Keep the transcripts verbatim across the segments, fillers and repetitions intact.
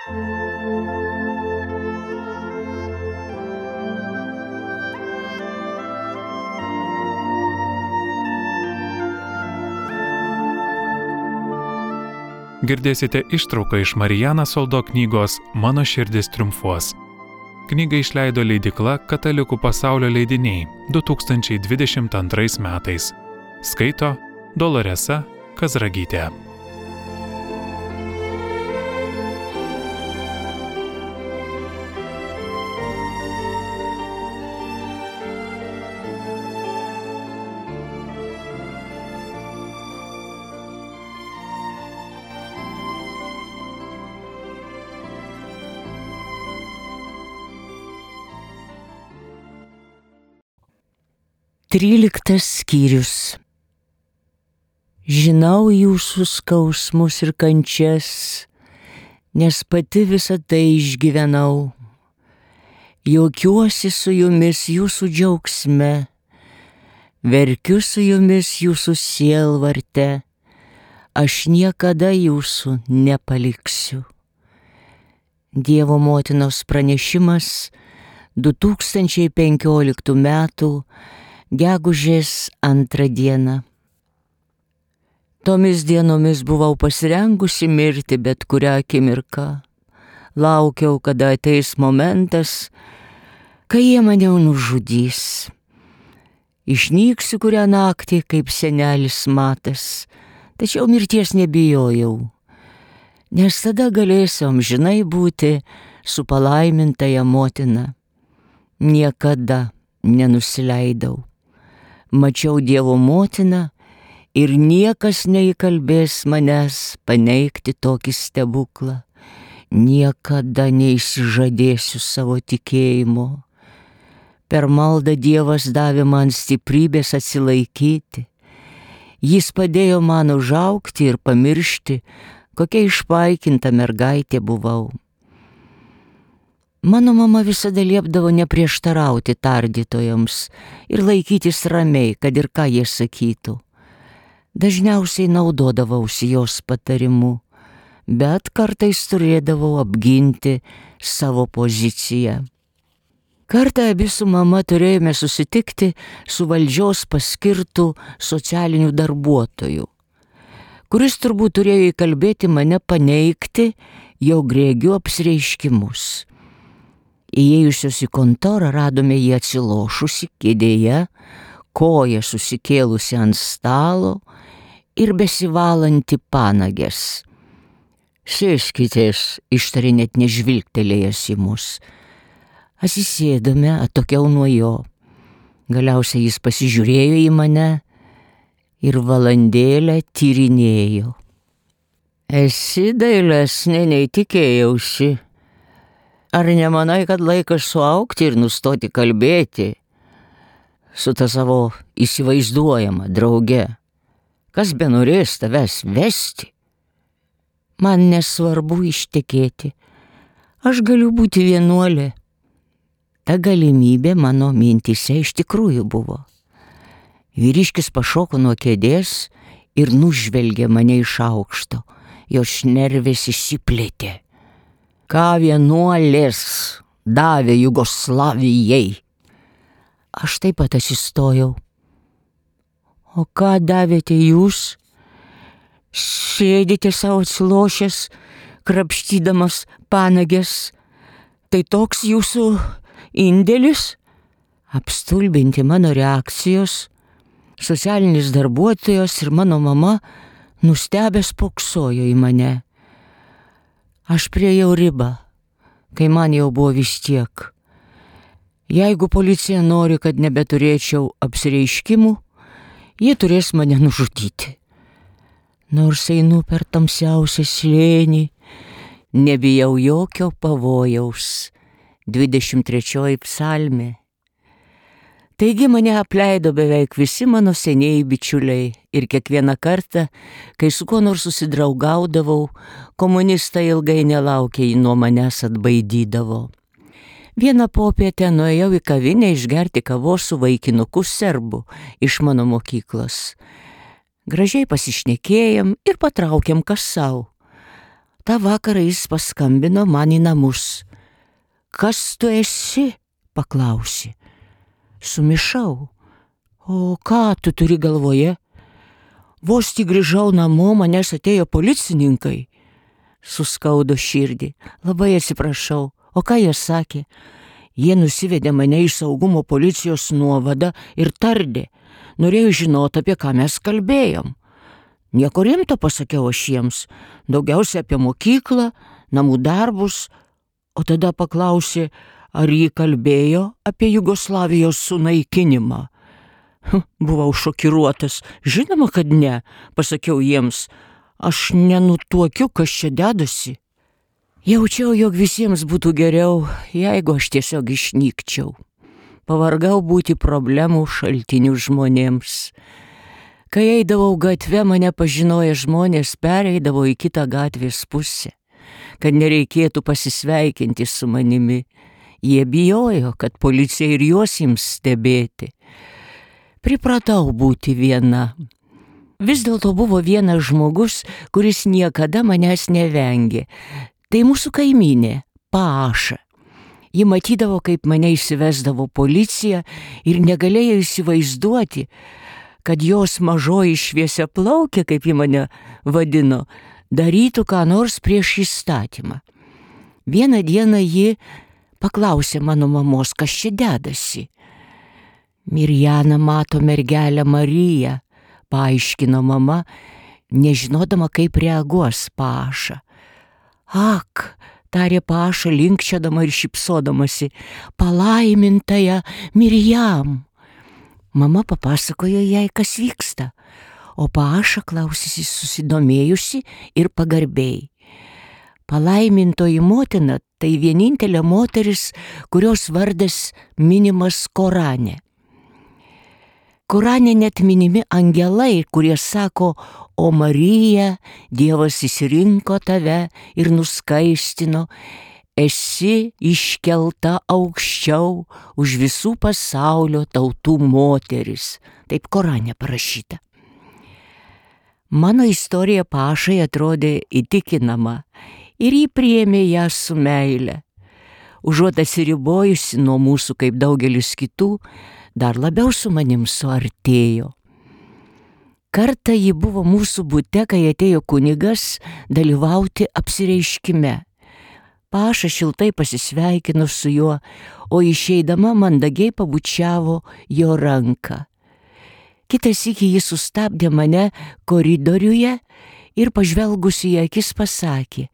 Girdėsite ištrauką iš Mariana Soldo knygos Mano širdis triumfuos. Knygą išleido leidykla Katalikų pasaulio leidiniai du tūkstančiai dvidešimt antrais metais. Skaito Doloresa Kazragytė. Tryliktas skyrius. Žinau jūsų skausmus ir kančias, nes pati visą tai išgyvenau. Juokiuosi su jumis jūsų džiaugsme, verkiu su jumis jūsų sielvarte, aš niekada jūsų nepaliksiu. Dievo motinos pranešimas du tūkstančiai penkioliktų metų gegužės antrą dieną. Tomis dienomis buvau pasirengusi mirti bet kurią akimirką. Laukiau, kada ateis momentas, kai jie mane nužudys. Išnyksiu kurią naktį kaip senelis Matas, tačiau mirties nebijojau, nes tada galėsiu amžinai būti su palaimintaja motina. Niekada nenusileidau. Mačiau Dievo motiną ir niekas neįkalbės manęs paneigti tokį stebuklą. Niekada neišsižadėsiu savo tikėjimo. Per maldą Dievas davė man stiprybės atsilaikyti. Jis padėjo man užaugti ir pamiršti, kokia išpaikinta mergaitė buvau. Mano mama visada liepdavo neprieštarauti tardytojams ir laikytis ramiai, kad ir ką jie sakytų. Dažniausiai naudodavausi jos patarimu, bet kartais turėdavau apginti savo poziciją. Kartą abi su mama turėjome susitikti su valdžios paskirtų socialinių darbuotojų, kuris turbūt turėjo įkalbėti mane paneigti jo grėgių apsireiškimus. Įėjusios į kontorą radome jį atsilošusi kėdėje, koją susikėlusi ant stalo ir besivalanti panages. Sėskitės, ištarė net nežvilgtelėjęs į mus. Atsisėdome atokiau nuo jo. Galiausiai jis pasižiūrėjo į mane ir valandėlę tyrinėjo. Esi dailesnė nei tikėjausi. Ar nemanai, kad laikas suaugti ir nustoti kalbėti su ta savo įsivaizduojama drauge? Kas benorės tavęs vesti? Man nesvarbu ištekėti. Aš galiu būti vienuolė. Ta galimybė mano mintyse iš tikrųjų buvo. Vyriškis pašoko nuo kėdės ir nužvelgė mane iš aukšto. Jo šnervės išsiplėtė. Ką vienuolės davė Jugoslavijai? Aš taip pat atsistojau. O ką davėte jūs? Sėdite savo atsilošęs, krapštydamas panages. Tai toks jūsų indėlis? Apstulbinti mano reakcijos, socialinis darbuotojas ir mano mama nustebęs poksojo į mane. Aš priėjau ribą, kai man jau buvo vis tiek. Jeigu policija nori, kad nebeturėčiau apsireiškimų, jie turės mane nužudyti. Nors einu per tamsiausią slėnį, nebijau jokio pavojaus. dvidešimt trečioji psalmė. Taigi mane apleido beveik visi mano senieji bičiuliai ir kiekvieną kartą, kai su kuo nors susidraugaudavau, komunistai ilgai nelaukiai nuo manęs atbaidydavo. Vieną popietę nuėjau į kavinę išgerti kavos su vaikinuku serbu iš mano mokyklos. Gražiai pasišnekėjom ir patraukėm kas sau. Ta vakarą jis paskambino man į namus. Kas tu esi? Paklausė. Sumišau. O ką tu turi galvoje? Vos tik grįžau namo, manęs atėjo policininkai. Suskaudo širdį. Labai atsiprašau. O ką jie sakė? Jie nusivedė mane į saugumo policijos nuovadą ir tardė. Norėjau žinoti, apie ką mes kalbėjom. Nieko rimto, pasakiau aš jiems. Daugiausia apie mokyklą, namų darbus. O tada paklausė, ar jį kalbėjo apie Jugoslavijos sunaikinimą. Buvau šokiruotas. Žinoma, kad ne, pasakiau jiems. Aš nenutuokiu, kas čia dedasi. Jaučiau, jog visiems būtų geriau, jeigu aš tiesiog išnykčiau. Pavargau būti problemų šaltinių žmonėms. Kai eidavau gatve, mane pažinoję žmonės pereidavo į kitą gatvės pusę, kad nereikėtų pasisveikinti su manimi. Jie bijojo, kad policija ir juos ims stebėti. Pripratau būti viena. Vis dėlto buvo vienas žmogus, kuris niekada manęs nevengė. Tai mūsų kaimynė, Paaša. Ji matydavo, kaip mane įsivesdavo policija ir negalėjo įsivaizduoti, kad jos mažoji šviesiaplaukė, kaip ji mane vadino, darytų ką nors prieš įstatymą. Vieną dieną ji paklausė mano mamos, kas čia dedasi. Mirjana mato mergelę Mariją, paaiškino mama, nežinodama, kaip reaguos Paaša. Ak, tarė Paaša linkčiodama ir šypsodamasi, palaimintąją Mirjam. Mama papasakojo jai, kas vyksta, o Paaša klausėsi susidomėjusi ir pagarbiai. Palaimintoji motina tai vienintelė moteris, kurios vardas minimas Korane. Korane net minimi angelai, kurie sako, o Marija, Dievas išsirinko tave ir nuskaistino, esi iškelta aukščiau už visų pasaulio tautų moteris. Taip Korane parašyta. Mano istorija Paašai atrodė įtikinama ir jį priėmė ją su meile. Užuot atsiribojusi nuo mūsų kaip daugelis kitų, dar labiau su manim suartėjo. Kartą ji buvo mūsų bute, kai atėjo kunigas dalyvauti apsireiškime. Paaša šiltai pasisveikino su juo, o išeidama mandagiai pabučiavo jo ranką. Kitą sykį jis sustabdė mane koridoriuje ir pažvelgusi į akis pasakė,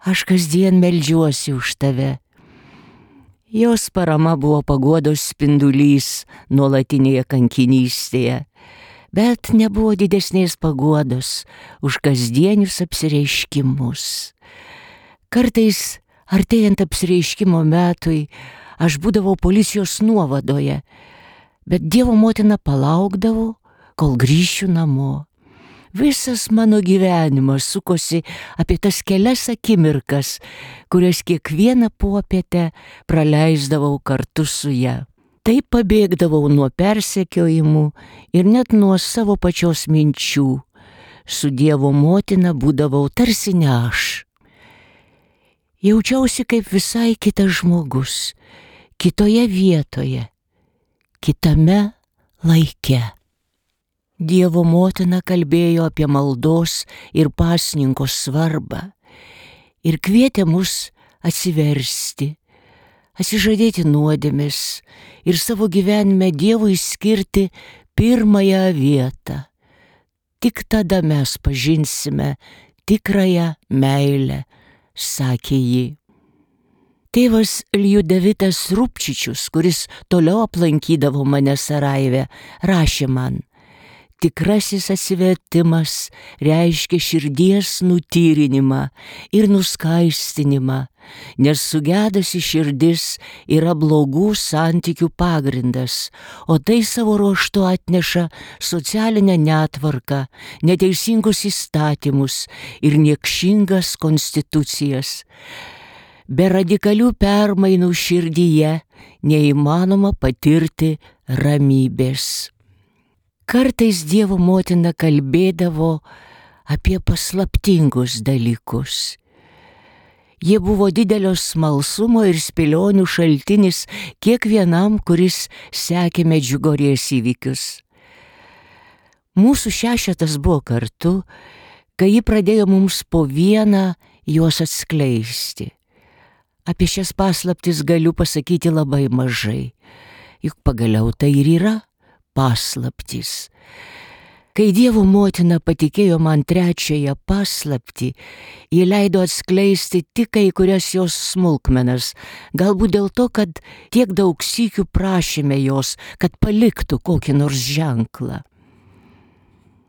aš kasdien meldžiuosi už tave. Jos parama buvo paguodos spindulys nuolatinėje kankinystėje, bet nebuvo didesnės paguodos už kasdienius apsireiškimus. Kartais, artėjant apsireiškimo metui, aš būdavau policijos nuovadoje, bet Dievo motina palaukdavo, kol grįšiu namo. Visas mano gyvenimas sukosi apie tas kelias akimirkas, kurias kiekvieną popietę praleisdavau kartu su ja. Taip pabėgdavau nuo persekiojimų ir net nuo savo pačios minčių. Su Dievo motina būdavau tarsi ne aš. Jaučiausi kaip visai kitas žmogus, kitoje vietoje, kitame laike. Dievo motina kalbėjo apie maldos ir pasninko svarbą ir kvietė mus atsiversti, atsižadėti nuodėmes ir savo gyvenime Dievui skirti pirmąją vietą. Tik tada mes pažinsime tikrąją meilę, sakė ji. Tėvas Ljudevitas Rupčičius, kuris toliau aplankydavo mane Sarajeve, rašė man, tikrasis atsivertimas reiškia širdies nutyrinimą ir nuskaistinimą, nes sugedusi širdis yra blogų santykių pagrindas, o tai savo ruožtu atneša socialinę netvarką, neteisingus įstatymus ir niekšingas konstitucijas. Be radikalių permainų širdyje neįmanoma patirti ramybės. Kartais Dievo motina kalbėdavo apie paslaptingus dalykus. Jie buvo didelio smalsumo ir spėlionių šaltinis kiekvienam, kuris sekė Medžiugorjės įvykius. Mūsų šešetas buvo kartu, kai ji pradėjo mums po vieną juos atskleisti. Apie šias paslaptis galiu pasakyti labai mažai, juk pagaliau tai ir yra paslaptis. Kai Dievo motina patikėjo man trečiąją paslaptį, ji leido atskleisti tik kai kurias jos smulkmenas, galbūt dėl to, kad tiek daug sykių prašėme jos, kad paliktų kokį nors ženklą.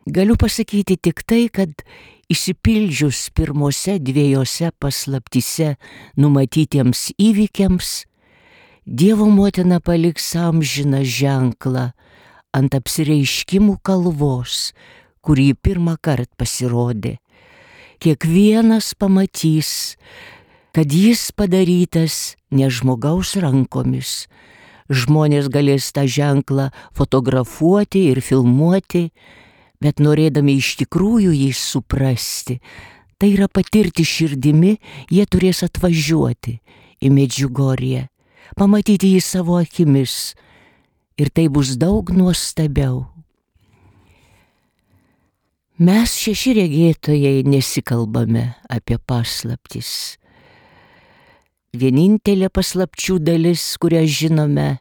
Galiu pasakyti tik tai, kad išsipildžius pirmose dviejose paslaptyse numatytiems įvykiams, Dievo motina paliks amžiną ženklą ant apsireiškimų kalvos, kurį pirmą kartą pasirodė. Kiekvienas pamatys, kad jis padarytas ne žmogaus rankomis. Žmonės galės tą ženklą fotografuoti ir filmuoti, bet norėdami iš tikrųjų jį suprasti, tai yra patirti širdimi, jie turės atvažiuoti į Medžiugorję, pamatyti jį savo akimis, ir tai bus daug nuostabiau. Mes šeši regėtojai nesikalbame apie paslaptis. Vienintelė paslapčių dalis, kurią žinome,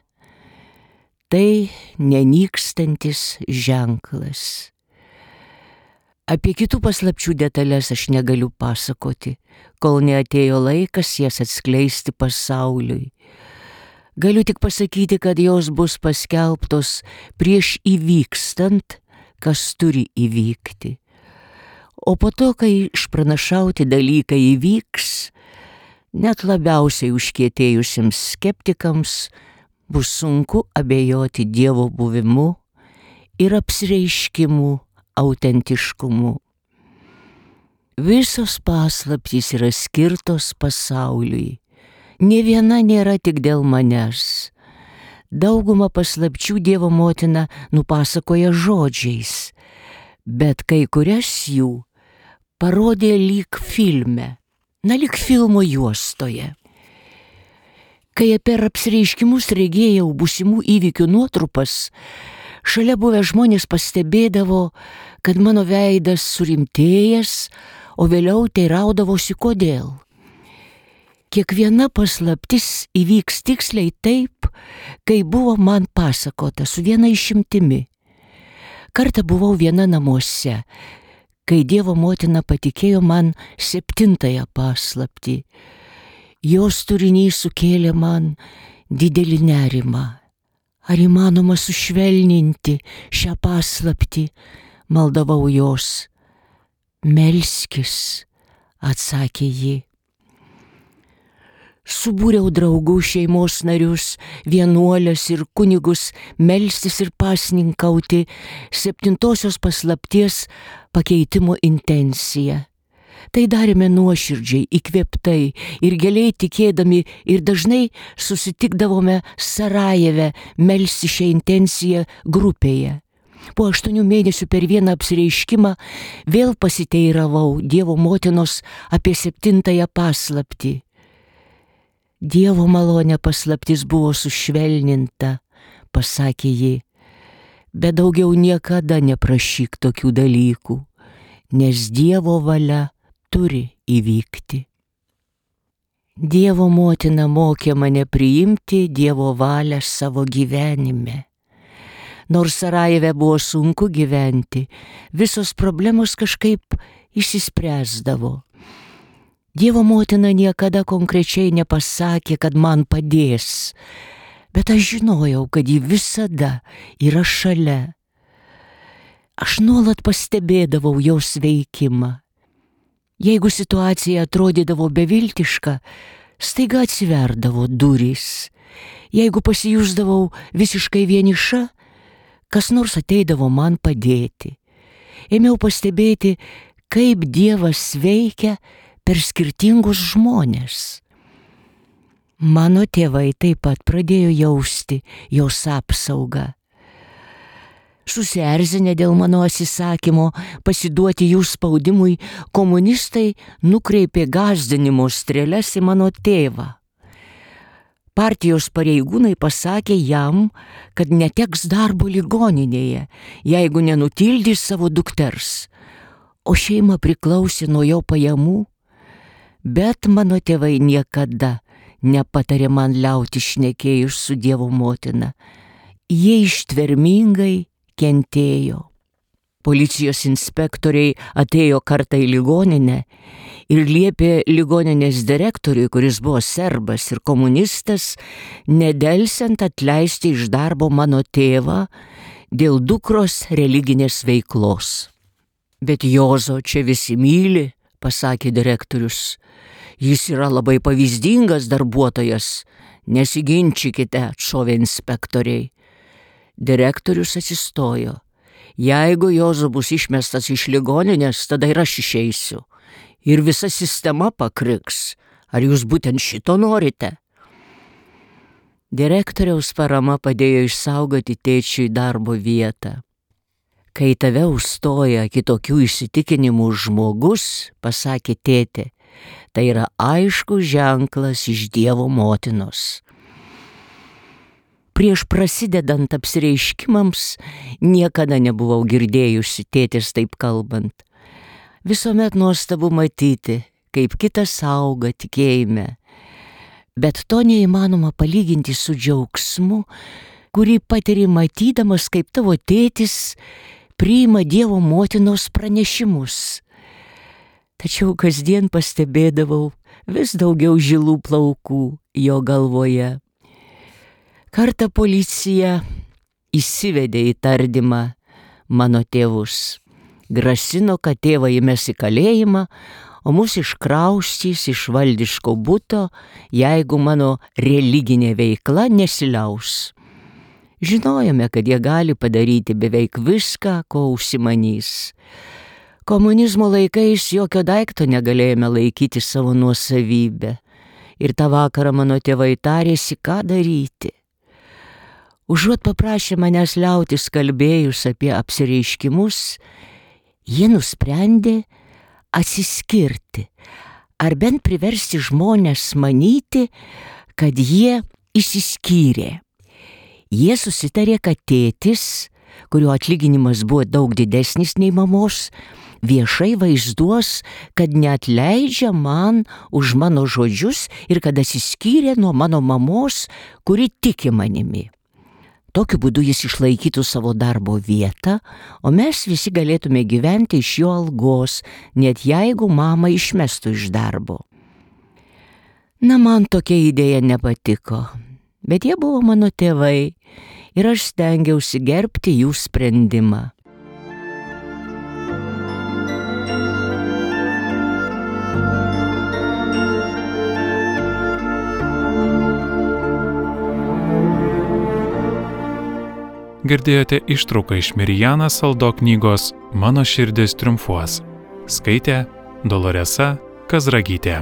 tai nenykstantis ženklas. Apie kitų paslapčių detalės aš negaliu pasakoti, kol neatėjo laikas jas atskleisti pasauliui. Galiu tik pasakyti, kad jos bus paskelbtos prieš įvykstant, kas turi įvykti. O po to, kai išpranašauti dalykai įvyks, net labiausiai užkietėjusiems skeptikams bus sunku abejoti Dievo buvimu ir apsireiškimu autentiškumu. Visos paslaptys yra skirtos pasauliui. Nė viena nėra tik dėl manęs. Daugumą paslapčių Dievo motina nupasakoja žodžiais, bet kai kurias jų parodė lyg filme, na lyg filmo juostoje. Kai per apsireiškimus regėjau būsimų įvykių nuotrupas, šalia buvę žmonės pastebėdavo, kad mano veidas surimtėjęs, o vėliau teiraudavosi kodėl. Kiekviena paslaptis įvyks tiksliai taip, kai buvo man pasakota, su viena išimtimi. Kartą buvau viena namuose, kai Dievo motina patikėjo man septintąją paslaptį. Jos turinys sukėlė man didelį nerimą. Ar įmanoma sušvelninti šią paslaptį, maldavau jos. Melskis, atsakė ji. Subūriau draugų, šeimos narius, vienuolės ir kunigus melstis ir pasninkauti septintosios paslapties pakeitimo intenciją. Tai darėme nuoširdžiai, įkvėptai ir giliai tikėdami ir dažnai susitikdavome Sarajeve melsti šią intenciją grupėje. Po aštuonių mėnesių per vieną apsireiškimą vėl pasiteiravau Dievo motinos apie septintąją paslaptį. Dievo malonė paslaptis buvo sušvelninta, pasakė ji, bet daugiau niekada neprašyk tokių dalykų, nes Dievo valia turi įvykti. Dievo motina mokė mane priimti Dievo valią savo gyvenime. Nors Sarajeve buvo sunku gyventi, visos problemos kažkaip išsispręsdavo. Dievo motina niekada konkrečiai nepasakė, kad man padės, bet aš žinojau, kad ji visada yra šalia. Aš nuolat pastebėdavau jos veikimą. Jeigu situacija atrodydavo beviltiška, staiga atsiverdavo durys. Jeigu pasijusdavau visiškai vieniša, kas nors ateidavo man padėti. Ėmiau pastebėti, kaip Dievas veikia per skirtingus žmonės. Mano tėvai taip pat pradėjo jausti jos apsaugą. Susierzinę dėl mano atsisakymo pasiduoti jų spaudimui, komunistai nukreipė gąsdinimo strėles į mano tėvą. Partijos pareigūnai pasakė jam, kad neteks darbo ligoninėje, jeigu nenutildys savo dukters, o šeima priklausė nuo jo pajamų. Bet mano tėvai niekada nepatarė man liauti šnekėjus su Dievo motina. Jie ištvermingai kentėjo. Policijos inspektoriai atėjo kartą į ligoninę ir liepė ligoninės direktoriui, kuris buvo serbas ir komunistas, nedelsiant atleisti iš darbo mano tėvą dėl dukros religinės veiklos. Bet Jozo čia visi myli, pasakė direktorius. Jis yra labai pavyzdingas darbuotojas. Nesiginčykite, atšovė inspektoriai. Direktorius atsistojo. Jeigu Jozo bus išmestas iš ligoninės, tada ir aš išeisiu. Ir visa sistema pakriks. Ar jūs būtent šito norite? Direktoriaus parama padėjo išsaugoti tėčiui darbo vietą. Kai tave užstoja kitokių įsitikinimų žmogus, pasakė tėtė, tai yra aiškus ženklas iš Dievo motinos. Prieš prasidedant apsireiškimams niekada nebuvau girdėjusi tėtės taip kalbant. Visuomet nuostabu matyti, kaip kitas auga tikėjime. Bet to neįmanoma palyginti su džiaugsmu, kurį patiri matydamas, kaip tavo tėtis priima Dievo motinos pranešimus. Tačiau kasdien pastebėdavau vis daugiau žilų plaukų jo galvoje. Kartą policija įsivedė į tardymą mano tėvus. Grasino, kad tėvą įmes į kalėjimą, o mus iškraustys iš valdiško buto, jeigu mano religinė veikla nesiliaus. Žinojome, kad jie gali padaryti beveik viską, ko užsimanys. Komunizmo laikais jokio daikto negalėjome laikyti savo nuosavybę. Ir tą vakarą mano tėvai tarėsi, ką daryti. Užuot paprašė manęs liautis kalbėjus apie apsireiškimus, jie nusprendė atsiskirti, ar bent priversti žmones manyti, kad jie išsiskyrė. Jie susitarė, kad tėtis, kurio atlyginimas buvo daug didesnis nei mamos, viešai vaizduos, kad neatleidžia man už mano žodžius ir kad atsiskyrė nuo mano mamos, kuri tiki manimi. Tokiu būdu jis išlaikytų savo darbo vietą, o mes visi galėtume gyventi iš jo algos, net jeigu mamą išmestų iš darbo. Na, man tokia idėja nepatiko, bet jie buvo mano tėvai ir aš stengiausi gerbti jų sprendimą. Girdėjote ištrauką iš Mirjana Saldo knygos Mano širdis triumfuos. Skaitė Doloresa Kazragytė.